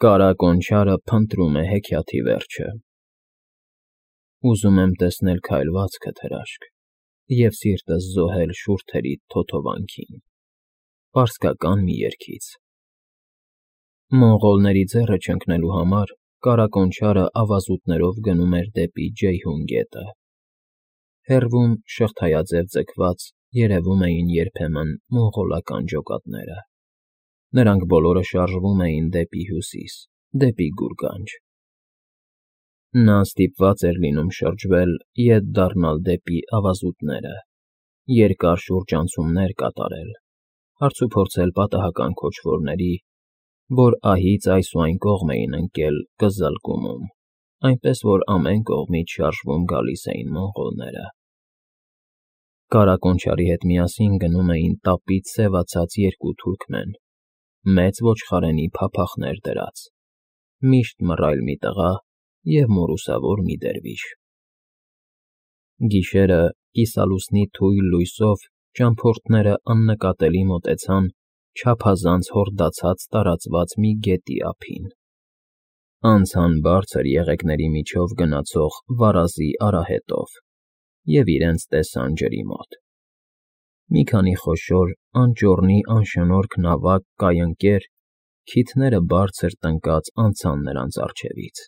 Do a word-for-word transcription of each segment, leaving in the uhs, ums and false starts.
Կարա Կոնչարը փնտրում է հեքիաթի վերջը։ Ուզում եմ տեսնել քայլվածքդ, հրաշք, և սիրտս զոհել շուրթերիդ թոթովանքին, պարսկական մի երգից։ Մոնղոլների ձեռը չընկնելու համար Կարա Կոնչարը ավազուտներով գնում էր դեպի Ջեյհուն գետը։ Հեռվում, շղթայաձև ձգված, երևում էին երբեմն մոնղոլական ջոկատները։ Նրանք բոլորը շարժվում էին դեպի հյուսիս, դեպի Գուրգանջ։ Նա ստիպված էր լինում շրջվել, ետ դառնալ դեպի ավազուտները, երկար շուրջանցումներ կատարել, հարցուփորձել պատահական քոչվորների, որ ահից այս ու այն կողմ էին ընկել Կզլգումում, այնպես որ ամեն կողմից շարժվում գալիս էին մոնղոլները։ Կարա Կոնչարի հետ միասին գնում էին տապից սևացած երկու թուրքմեն, մեծ ոչխարենի փափախներ դրած, միշտ մռայլ մի տղա և մորուսավոր մի դերվիշ։ Գիշերը, կիսալուսնի թույլ լույսով ճամփորդները աննկատելի մոտեցան չափազանց հորդացած տարածված մի գետի ափին, անցան բարձր եղեգների միջով գնացող վարազի արահետով և իրենց տեսան ջրի մոտ։ Մի քանի խոշոր, անճոռնի անշնորհք նավակ կայընկեր, քիթները բարձր տնկած անցան նրանց առջևից։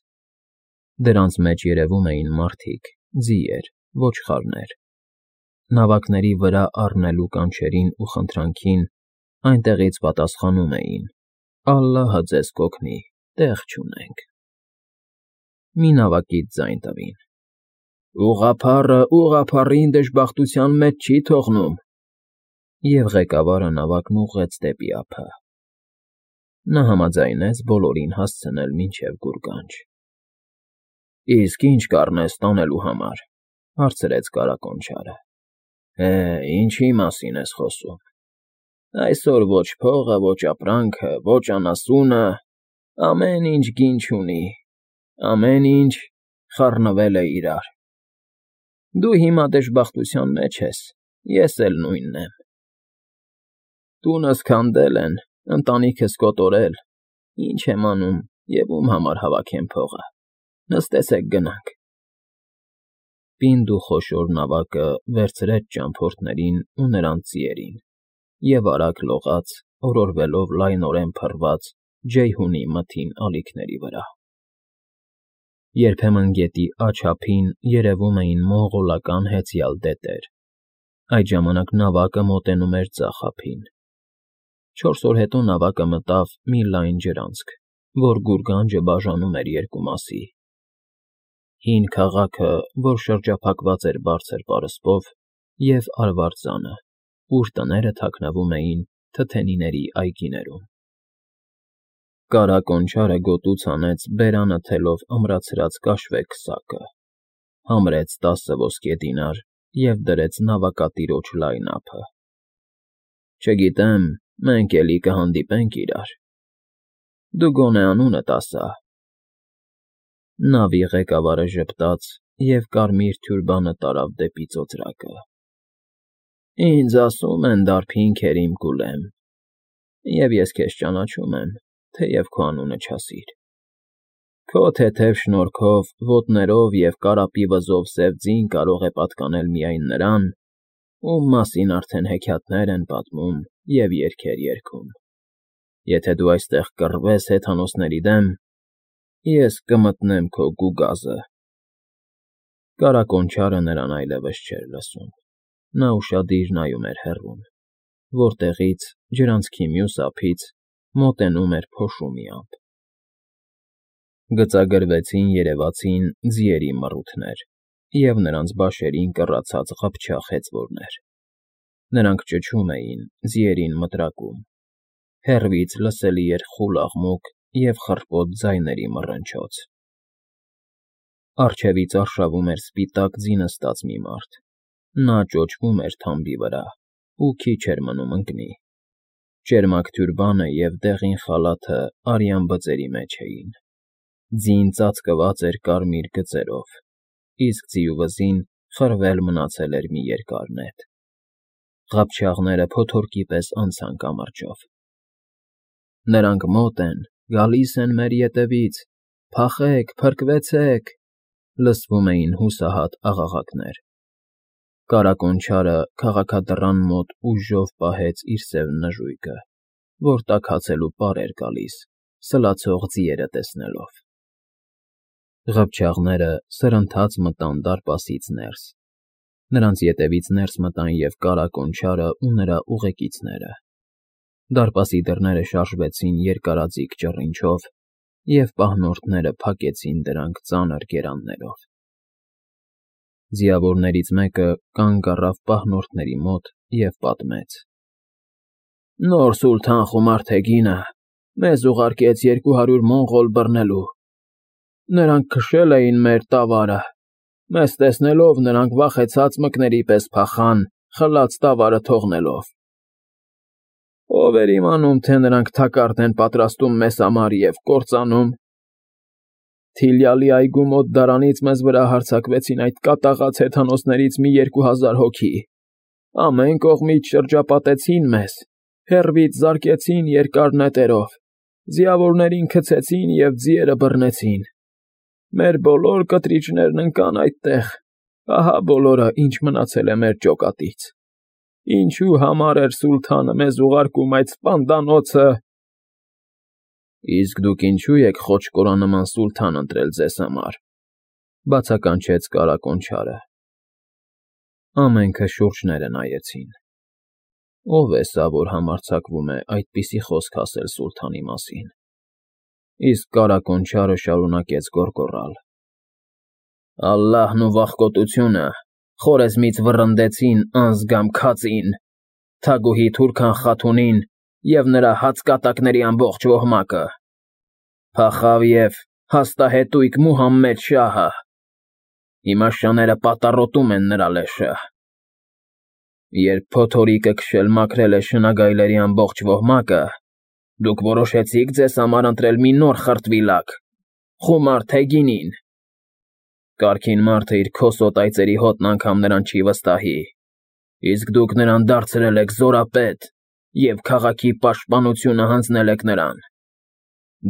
Դրանց մեջ երևում էին մարդիկ, ձիեր, ոչխարներ։ Նավակների վրա առնելու կանչերին ու խնդրանքին այնտեղից պատասխանում էին. «Ալլահը ձեզ կօգնի, տեղ չունենք»։ Մի նավակից ձայն տվին. «Ուղղափառը ուղղափառին դժբախտության մեջ չի թողնում», և ղեկավարը նավակն ուղղեց դեպի ափը։ Նա համաձայնեց բոլորին հասցնել մինչև Գուրգանջ։ «Իսկ ի՞նչ կառնես տանելու համար», ֊ հարցրեց Կարա Կոնչարը։ «Հե, ինչի՞ մասին ես խոսում։ Այսօր ոչ փողը, ոչ ապրանքը, ոչ անասունը, ամեն ինչ գին չունի, ամեն ինչ խառնվել է իրար։ Դու հիմա դժբախտության մեջ ես, ես էլ նույնն եմ։ Տունս քանդել են, ընտանիքս կոտորել, ինչ եմ անում և ում համար հավաքեմ փողը, նստեցեք գնանք»։ Պինդ ու խոշոր նավակը վերցրեց ճամփորդներին ու նրանց ձիերին և արագ լողաց, օրորվելով լայնորեն փռված Ջեյհունի մթին ալիքների վրա։ Երբեմն գետի աջ ափին երևում էին մոնղոլական հեծյալ դետեր։ Այդ ժամանակ նավակը մոտենում էր ձախ ափին։ Չորս օր հետո նավակը մտավ մի լայն ջրանցք, որ Գուրգանջը բաժանում էր երկու մասի. հին քաղաքը, որ շրջափակված էր բարձր պարսպով, և արվարձանը, ուր տները թաքնվում էին թթենիների այգիներում։ Կարա Կոնչարը գոտուց հանեց բերանը թելով ամրացրած կաշվե քսակը, համրեց տասը ոսկե դինար և դրեց նավակատիրոջ լայն ափը։ «Չգիտեմ, մենք էլի կհանդիպենք իրար։ Դու գոնե անունդ ասա»։ Նավի ղեկավարը ժպտաց և կարմիր թյուրբանը տարավ դեպի ծոծրակը։ «Ինձ ասում են Դարբին Քերիմ Կուլեմ, և ես քեզ ճանաչում եմ, թեև քո անունը չասիր։ Քո թեթև շնորհքով, ոտներով և կարապի վզով սև ձին կարող է պատկանել միայն նրան, ում մասին արդեն հեքիաթներ են պատմում և երգեր երգում։ Եթե դու այստեղ կռվես հեթանոսների դեմ, ես կմտնեմ քո գուգազը»։ Կարա Կոնչարը նրան այլևս չէր լսում։ Նա ուշադիր նայում էր հեռվում, որտեղից, ջրանցքի մյուս ափից, մոտենում էր փոշու մի ամպ։ Գծագրվեցին երևացին ձիերի մռութներ և նրանց բաշերին կռացած ղփչաղ հեծվորներ։ Նրանք ճչում էին, ձիերին մտրակում։ Հեռվից լսելի էր խուլ աղմուկ և խռպոտ ձայների մռնչոց։ Առջևից արշավում էր սպիտակ ձի նստած մի մարդ։ Նա ճոճվում էր թամբի վրա ու քիչ էր մնում ընկնի։ Ճերմակ թյուրբանը և դեղին խալաթը արյան բծերի մեջ էին։ Ձին ծածկված էր կարմիր գծերով, իսկ ձիու վզին խրվել մնացել էր մի երկար նետ։ Ղափչաղները փոթորկի պես անցան կամրջով։ «Նրանք մոտ են, Գալիս են մեր ետևից, փախեք, փրկվեցեք, լսվում էին հուսահատ աղաղակներ։ Կարակոնչարը քաղաքադռան մոտ ուժով պահեց իր սև նժույգը, որ տաքացելու պար էր գալիս, սլացող ձիերը տեսնելով։ Ղփչաղները սրընթաց մտան դարպասից ներս։ Նրանց ետևից ներս մտան և Կարակոնչարը ու նրա ուղեկիցները։ Դարպասի դռները շարժվեցին երկարաձիգ ճռինչով, և պահնորդները փակեցին դրանք ծանր գերաններով։ Ձիավորներից մեկը կանգ առավ պահնորդների մոտ և պատմեց. «Նոր սուլթան Խումարթեգինը մեզ ուղարկեց երկու հարյուր մոնղոլ բռնելու։ Նրանք քշել էին մեր տավարը։ Մեզ տեսնելով՝ նրանք վախեցած մկների պես փախան՝ խլած տավարը թողնելով։ Ո՞վ էր իմանում, թե նրանք թակարդ են պատրաստում մեզ համար և կործանում։ Թիլյալի այգու մոտ դարանից մեզ վրա հարձակվեցին այդ կատաղած հեթանոսներից մի երկու հազար հոգի։ Ամեն կողմից շրջապատեցին մեզ, հեռվից զարկեցին երկար նետերով, ձիավորներին գցեցին և ձիերը բռնեցին։ Մեր բոլոր կտրիճներն ընկան այդտեղ, ահա բոլորը, ինչ մնացել է մեր ջոկատից։ Ինչու համար էր սուլթանը մեզ ուղարկում այդ սպանդանոցը»։ «Իսկ դուք ինչո՞ւ եք խոչկորանման սուլթան ընտրել ձեզ համար», բացականչեց Կարակոնչարը։ Ամենքը շուրջները նայեցին։ Ո՞վ է սա, որ համարձակվում է այդպիսի խոսք ասել սուլթանի մասին։ Իսկ Կարակոնչարը շարունակեց գոռգոռալ. «Ալլահն ու վախկոտությունը խորեզմից վռնդեցին անզգամ քածին, թագուհի Թուրքան Խաթունին և նրա հացկատակների ամբողջ ոհմակը։ Փախավ և հաստահետույք Մուհամմեդ շահը։ Հիմա շները պատառոտում են նրա լեշը։ Երբ փոթորիկը քշել մաքրել է շնագայլերի ամբողջ ոհմակը, դուք որոշեցիք ձեզ համար ընտրել մի նոր խրտվիլակ՝ Խումարթեգինին։ Կարգին մարդը իր քոսոտ այծերի հոտն անգամ նրան չի վստահի, իսկ դուք նրան դարձրել եք զորապետ և քաղաքի պաշտպանությունը հանձնել եք նրան։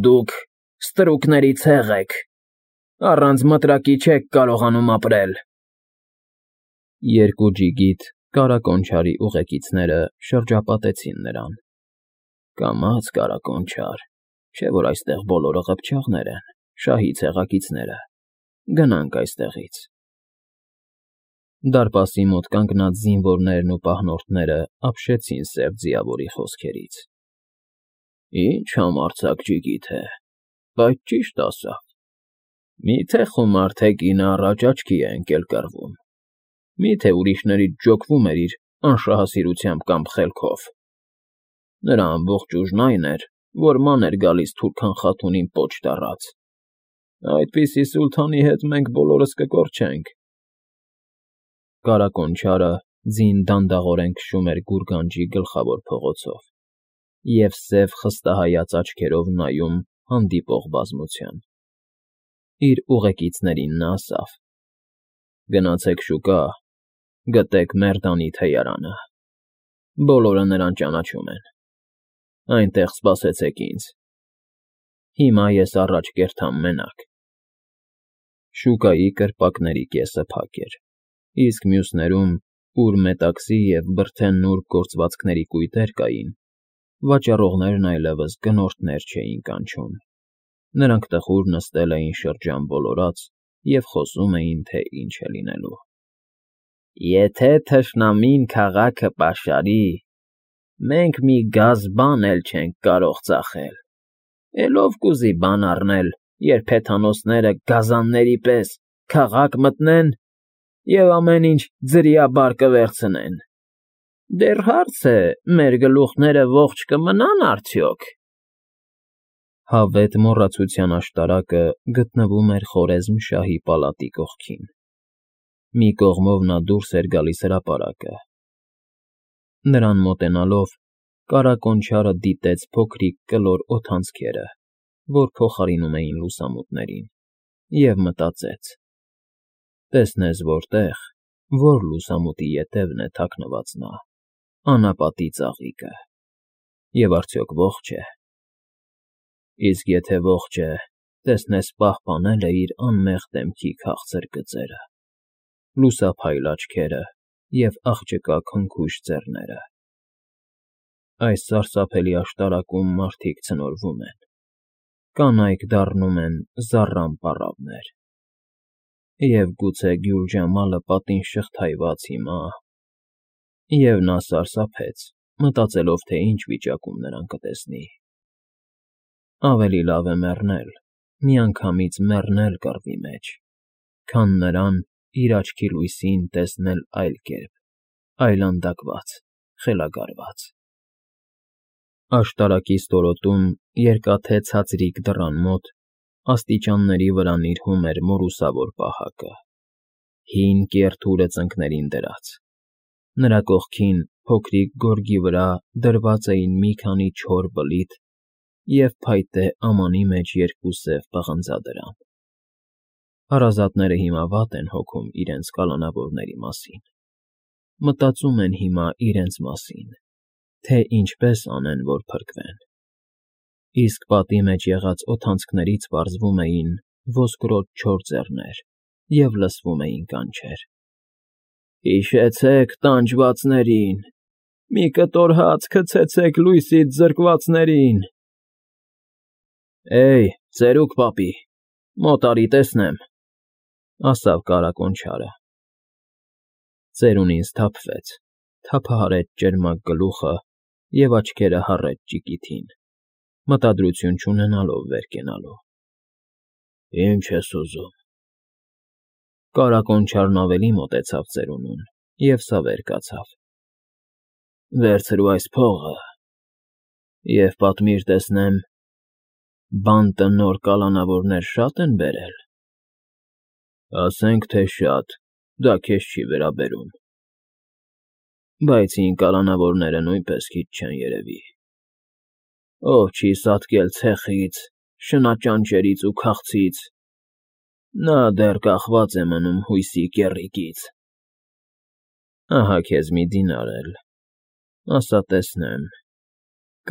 Դուք ստրուկների ցեղ եք, առանց մտրակի չեք կարողանում ապրել»։ Երկու ջիգիտ Կարակոնչարի ուղեկիցները շրջապատեցին նրան։ «Կամաց, Կարակոնչար, չէ՞ որ այստեղ բոլորը ղփչաղներ են, շահի ցեղակիցները։ Գնանք այստեղից»։ Դարպասի մոտ կանգնած զինվորներն ու պահնորդները ապշեցին սև ձիավորի խոսքերից։ «Ինչ համարձակ ջիգիթ է, բայց ճիշտ ասավ։ Մի՞թե Խումարթեգինը առաջ աչքի է ընկել կռվում։ Մի՞թե ուրիշներից ջոկվում էր իր անշահասիրությամբ կամ խելքով։ Նրա ամբողջ ուժն այն էր, որ ման էր գալիս Թուրքան Խաթունին պոչ տառած։ Այդպիսի սուլթանի հետ մենք բոլորս կկորչենք»։ Կարակոնչարը ձին դանդաղորեն քշում էր գուրգանջի գլխավոր փողոցով և սև խստահայաց աչքերով նայում հանդիպող բազմության։ Իր ուղեկիցներին նա ասավ. «Գնացեք շուկա, գտեք Մերդանի թեյարանը։ Բոլորը նրան ճանաչում են։ Այնտեղ սպասեցեք ինձ։ Հիմա ես առաջ կերթամ մենակ»։ Շուկայի կրպակների կեսը փակ էր, իսկ մյուսներում, ուր մետաքսի և բրդե նուրբ գործվածքների կույտեր կային, վաճառողներն այլևս գնորդներ չէին կանչում։ Նրանք տխուր նստել էին շրջան ոլորած և խոսում էին, թե ինչ է լինելու։ «Եթե թշնամին քաղաքը պաշարի, մենք մի գազ բան էլ չենք կարող ծախել։ Էլ ո՞վ կուզի բան առնել, երբ հեթանոսները գազանների պես քաղաք մտնեն և ամեն ինչ ձրիաբար կվերցնեն։ Դեռ հարց է՝ մեր գլուխները ողջ կմնա՞ն արդյոք»։ Հավետ մոռացության աշտարակը գտնվում էր Խորեզմ֊շահի պալատի կողքին։ Մի կողմով նա դուրս էր գալիս հրապարակը։ Նրան մոտենալով՝ Կարակոնչարը դիտեց փոքրիկ կլոր օդանցքերը, որ փոխարինում էին լուսամուտներին, և մտածեց. տեսնես որտեղ, որ լուսամուտի ետևն է թաքնված նա, անապատի ծաղիկը, և արդյոք ողջ է։ Իսկ եթե ողջ է, տեսնես պահպանել է իր անմեղ դեմքի քաղցր գծերը, լուսափայլ աչքերը և աղջկա քնքուշ ձեռները։ Այս սարսափելի աշտարակում մարդիկ ցնորվում են, կանայք դառնում են զառամ պառավներ, և գուցե Գյուլ Ջամալը պատին շղթայված հիմա… Եվ նա սարսափեց, մտածելով, թե ինչ վիճակում նրան կտեսնի։ Ավելի լավ է մեռնել, միանգամից մեռնել կռվի մեջ, քան նրան, իր աչքի լույսին, տեսնել այլ կերպ, այլանդակված, խելագարված… Աշտարակի ստորոտում, երկաթե ցածրիկ դռան մոտ, աստիճանների վրա նիրհում էր մորուսավոր պահակը, հին կեռ թուրը ծնկներին դրած, նրա կողքին, փոքրիկ գորգի վրա դրված էին մի քանի չոր բլիթ և փայտե ամանի մեջ երկու սև պղնձադրամ։ Հարազատները հիմա վատ են հոգում իրենց կալանավորների մասին, մտածում են հիմա իրենց մասին, թե ինչպես անեն, որ փրկվեն, իսկ պատի մեջ եղած օդանցքներից պարզվում էին ոսկրոտ չոր ձեռներ և լսվում էին կանչեր. «Հիշեցեք տանջվածներին, մի կտոր հաց գցեցեք լույսից զրկվածներին»։ «Էյ, ծերուկ պապի, մոտ արի տեսնեմ», ֊ ասավ կառակոնչարը։ Ծերունին սթափվեց, թափահարեց ճերմակ գլուխը և աչքերը հառեց ճիկիթին, մտադրություն չունենալով վեր կենալու։ «Ի՞նչ ես ուզում»։ Կառակոնչարն ավելի մոտեցավ ծերունուն և սավեր կացավ. «Վերցրու այս փողը և պատմիր, տեսնեմ, բանտը նոր կալանավորներ շա՞տ են բերել»։ «Ասենք թե շատ, դա քեզ չի վերաբերում»։ «Բայց հին կալանավորները նույնպես քիչ չեն, երևի։ Ով չի սատկել ցեխից, շնաճանճերից ու քաղցից, նա դեռ կախված է մնում հույսի կեռիկից»։ «Ահա քեզ մի դինար էլ, ասա տեսնեմ,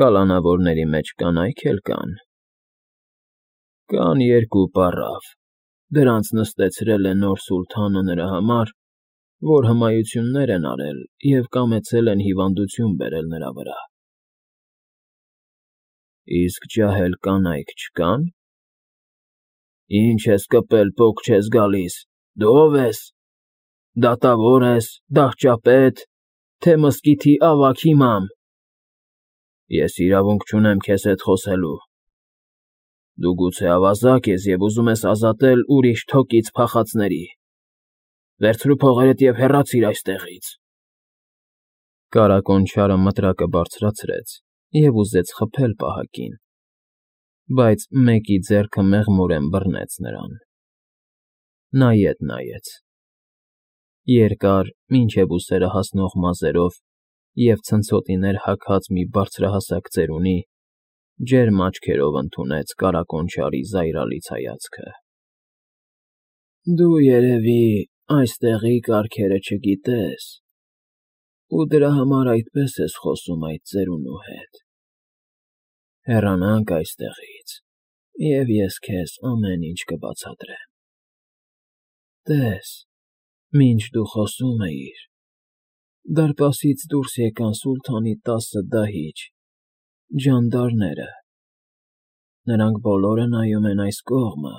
կալանավորների մեջ կանայք էլ կա՞ն»։ «Կան երկու պառավ, դրանց նստեցրել է նոր սուլթանը նրա համար, որ հմայություններ են արել և կամեցել են հիվանդություն բերել նրա վրա»։ «Իսկ ջահել կանայք չկա՞ն»։ «Ինչ ես կպել, պոկ չես գալիս, դու ո՞վ ես, դատավո՞ր ես, դահճապե՞տ, թե մզկիթի ավագ իմամ։ Ես իրավունք չունեմ քեզ հետ խոսելու։ Դու գուցե ավազակ ես և ուզում ես ազատել ուրիշ թոկից փախածների… Վերցրու փողերդ և հեռացիր այստեղից»։ Կառակոնչարը մտրակը բարձրացրեց և ուզեց խփել պահակին, բայց մեկի ձեռքը մեղմորեն բռնեց նրան։ Նա ետ նայեց. երկար, մինչև ուսերը հասնող մազերով և ցնցոտիներ հագած մի բարձրահասակ ծերունի ջերմ աչքերով ընդունեց կառակոնչարի զայրալից հայացքը։ «Դու, երևի, այստեղի կարգերը չգիտես ու դրա համար այդպես ես խոսում այդ ծերունու հետ… Հեռանանք այստեղից, և ես քեզ ամեն ինչ կբացատրեմ… Տես, մինչ դու խոսում էիր, դարպասից դուրս եկան սուլթանի տասը դահիճ, ջանդարները… Նրանք բոլորը նայում են այս կողմը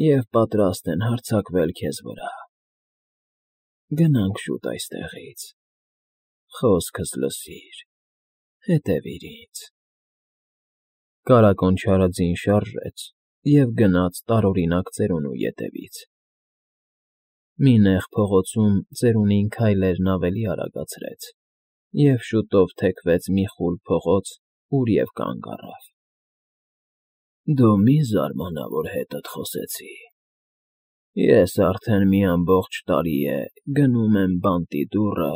և պատրաստ են հարձակվել քեզ վրա… Գնանք շուտ այստեղից… Խոսքս լսիր, հետևիր ինձ»։ Կառակոնչարը ձին շարժեց և գնաց տարօրինակ ծերունու ետևից։ Մի նեղ փողոցում ծերունին քայլերն ավելի արագացրեց և շուտով թեքվեց մի խուլ փողոց, ուր և կանգ առավ։ «Դու մի զարմանա, որ հետդ խոսեցի… Ես արդեն մի ամբողջ տարի է գնում եմ բանտի դուռը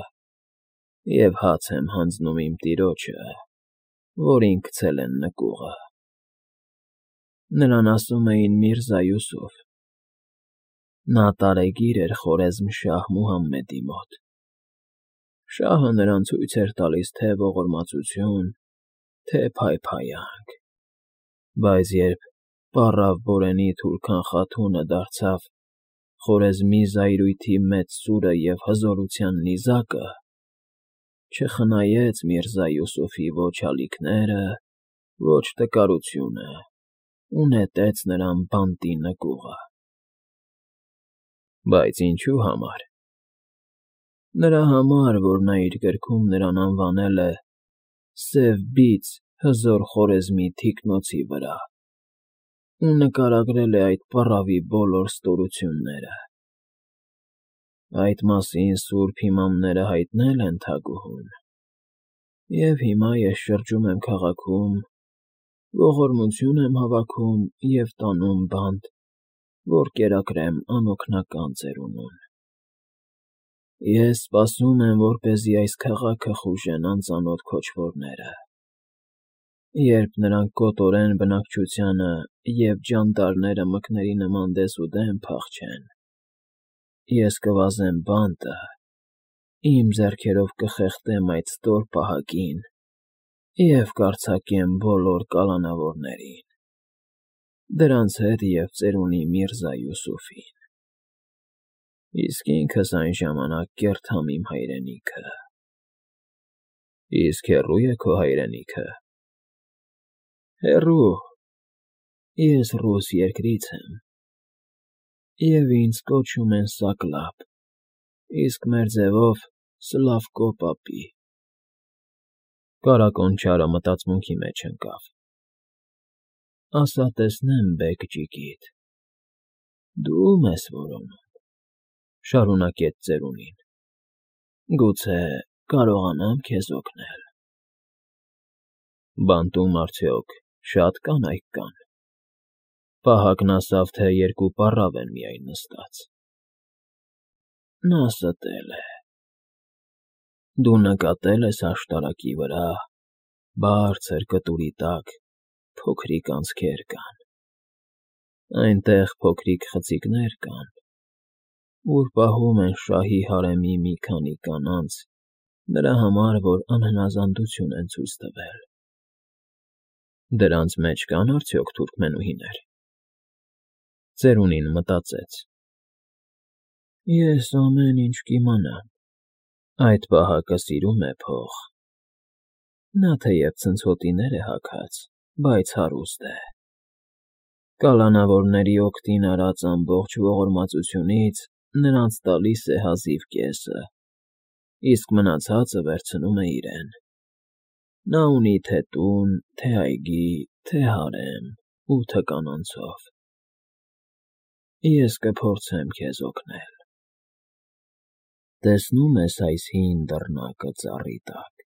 և հաց եմ հանձնում իմ տիրոջը, որին գցել են նկուղը։ Նրան ասում էին Միրզա Յուսուֆ. նա տարեգիր էր Խորեզմ֊շահ Մուհամմեդի մոտ։ Շահը նրան ցույց էր տալիս թե ողորմածություն, թե փայփայանք։ Բայց երբ պառավ Բորենի թուրքան Խաթունը դարձավ Խորեզմի զայրույթի մեծ սուրը և հզորության նիզակը, չխնայեց Միրզա Յուսուֆի ոչ ալիքները, ոչ տկարությունը ու նետեց նրան բանտի նկուղը։ Բայց ինչու համար։ Նրա համար, որ նա իր գրքում նրան անվանել է «Սև բիծ հզոր Խորեզմի թիկնոցի վրա» ու նկարագրել է այդ պառավի բոլոր ստորությունները։ Այդ մասին սուրբ իմամները հայտնել են թագուհուն, և հիմա ես շրջում եմ քաղաքում, ողորմություն եմ հավաքում և տանում բանտ, որ կերակրեմ անօգնական ծերունուն։ Ես սպասում եմ, որպեսզի այս քաղաքը խուժեն անծանոթ քոչվորները։ Երբ նրանք կոտորեն բնակչությանը և ջանդարները մկների նման դեսուդեն փախչեն, ես կվազեմ բանտը, իմ ձեռքերով կխեղդեմ այդ ստոր պահակին և կարձակեմ բոլոր կալանավորներին, դրանց հետ և ծերունի Միրզա Յուսուֆին։ Իսկ ինքս այն ժամանակ կերթամ իմ հայրենիքը։ Իսկ հեռո՞ւ է քո հայրենիքը։ Հեռու, ես ռուս երկրից եմ, և ինձ կոչում են Սակլապ, իսկ մեր ձևով Սլավկո պապի։ Կարագոն չարը մտածմունքի մեջ ընկավ։ Ասա տեսնեմ, բեգ֊ջիգիտ, դու ո՞ւմ ես որոնում, շարունակեց ծերունին, գուցե կարողանամ քեզ օգնել։ Բանտում արդյոք շատ կանայք կան։ Պահակն ասավ, թե երկու պառավ են միայն նստած։ Նա ստել է։ Դու նկատել ես աշտարակի վրա, բարձր կտուրի տակ, փոքրիկ անցքեր կան։ Այնտեղ փոքրիկ խցիկներ կան, ուր պահում են շահի հարեմի մի քանի կանանց նրա համար, որ անհնազանդություն են ցույց տվել։ Դրանց մեջ կա՞ն արդյոք թուրքմենուհիներ։ Ծերունին մտածեց. Ես ամեն ինչ կիմանամ։ Այդ պահակը սիրում է փող։ Նա թեև ցնցոտիներ է հագած, բայց հարուստ է։ Կալանավորների օգտին արած ամբողջ ողորմածությունից նրանց տալիս է հազիվ կեսը, իսկ մնացածը վերցնում է իրեն։ Նա ունի թե՛ տուն, թե՛ այգի, թե՛ հարեմ, ութը կանանցով։ Ես կփորձեմ քեզ օգնել։ Տեսնո՞ւմ ես այս հին դռնակը ծառի տակ։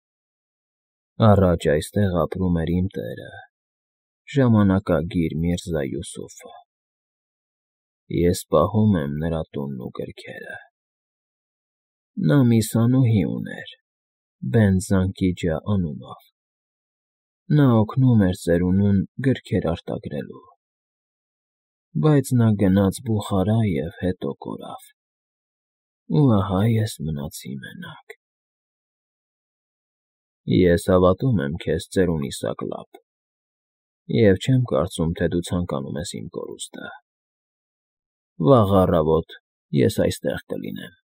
Առաջ այստեղ ապրում էր իմ տերը, ժամանակագիր Միրզա Յուսուֆը։ Ես պահում եմ նրա տունն ու գրքերը։ Նա մի սանուհի ուներ Բենտ֊Զանկիջա անունով։ Նա օգնում էր ծերունուն գրքեր արտագրելու։ Բայց նա գնաց Բուխարա և հետո կորավ։ Ու ահա ես մնացի մենակ։ Ես հավատում եմ քեզ, ծերունի Սակլապ, և չեմ կարծում, թե դու ցանկանում ես իմ կորուստը։ Վաղ առավոտ ես այստեղ կլինեմ։